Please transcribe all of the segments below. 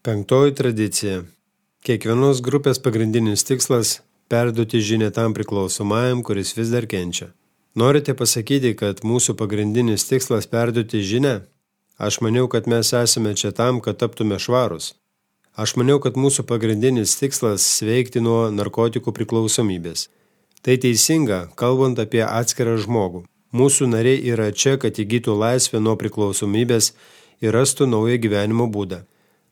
Penktoji tradicija. Kiekvienos grupės pagrindinis tikslas – perduoti žinią tam priklausomajam, kuris vis dar kenčia. Norite pasakyti, kad mūsų pagrindinis tikslas perduoti žinią? Aš maniau, kad mes esame čia tam, kad taptume švarūs. Aš maniau, kad mūsų pagrindinis tikslas – sveikti nuo narkotikų priklausomybės. Tai teisinga, kalbant apie atskirą žmogų. Mūsų nariai yra čia, kad įgytų laisvę nuo priklausomybės ir rastų naują gyvenimo būdą.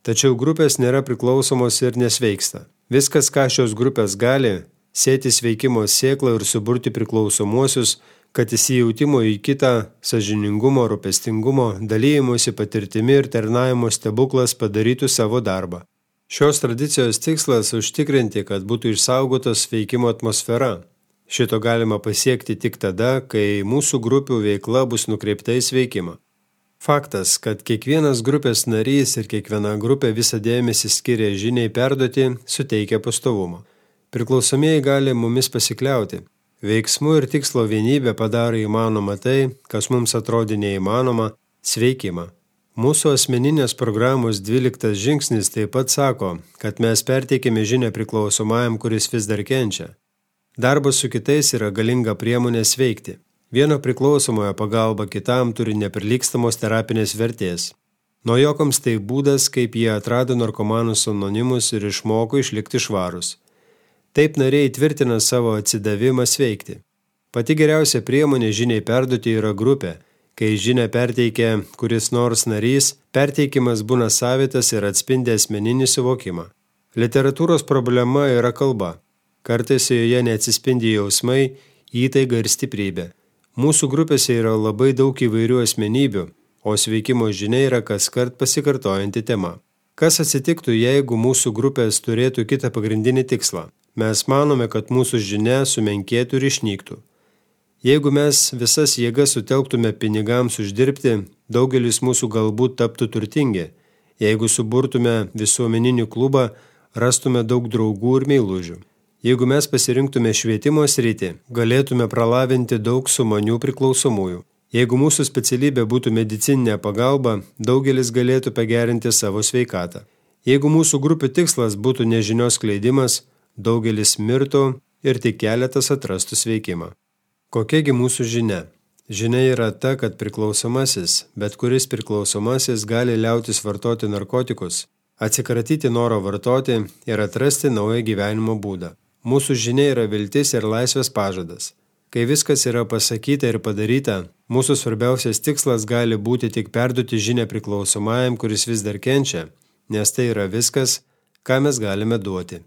Tačiau grupės nėra priklausomos ir nesveiksta. Viskas, ką šios grupės gali, sėti sveikimo sėklą ir suburti priklausomuosius, kad įsijautimo į kitą, sąžiningumo, rūpestingumo, dalyjimuose patirtimi ir tarnavimo stebuklas padarytų savo darbą. Šios tradicijos tikslas – užtikrinti, kad būtų išsaugotos veikimo atmosfera. Šito galima pasiekti tik tada, kai mūsų grupių veikla bus nukreipta į sveikimą. Faktas, kad kiekvienas grupės narys ir kiekviena grupė visą dėmesį skiria žiniai perduoti, suteikia pastovumo. Priklausomieji gali mumis pasikliauti. Veiksmų ir tikslo vienybė padaro įmanoma tai, kas mums atrodė neįmanoma – sveikimą. Mūsų asmeninės programos 12 žingsnis taip pat sako, kad mes perteikėme žinią priklausomajam, kuris vis dar kenčia. Darbas su kitais yra galinga priemonė sveikti. Vieno priklausomojo pagalba kitam turi neprilygstamos terapinės vertės. Naujokams tai būdas, kaip jie atrado narkomanus anonimus ir išmoko išlikti švarus. Taip nariai tvirtina savo atsidavimą sveikti. Pati geriausia priemonė žiniai perduoti yra grupė. Kai žinią perteikia kuris nors narys, perteikimas būna savitas ir atspindi asmeninį suvokimą. Literatūros problema yra kalba. Kartais joje neatsispindi jausmai, įtaiga ir stiprybė. Mūsų grupėse yra labai daug įvairių asmenybių, o sveikimo žinia yra kaskart pasikartojanti tema. Kas atsitiktų, jeigu mūsų grupės turėtų kitą pagrindinį tikslą? Mes manome, kad mūsų žinia sumenkėtų ir išnyktų. Jeigu mes visas jėgas sutelktume pinigams uždirbti, daugelis mūsų galbūt taptų turtingi. Jeigu suburtume visuomeninį klubą, rastume daug draugų ir meilužių. Jeigu mes pasirinktume švietimo sritį, galėtume pralavinti daug sumanių priklausomųjų. Jeigu mūsų specialybė būtų medicininė pagalba, daugelis galėtų pagerinti savo sveikatą. Jeigu mūsų grupių tikslas būtų nežinios skleidimas, daugelis mirtų ir tik keletas atrastų sveikimą. Kokiagi mūsų žinia? Žinia yra ta, kad priklausomasis, bet kuris priklausomasis gali liautis vartoti narkotikus, atsikratyti noro vartoti ir atrasti naują gyvenimo būdą. Mūsų žinia yra viltis ir laisvės pažadas. Kai viskas yra pasakyta ir padaryta, mūsų svarbiausias tikslas gali būti tik perduoti žinią priklausomajam, kuris vis dar kenčia, nes tai yra viskas, ką mes galime duoti.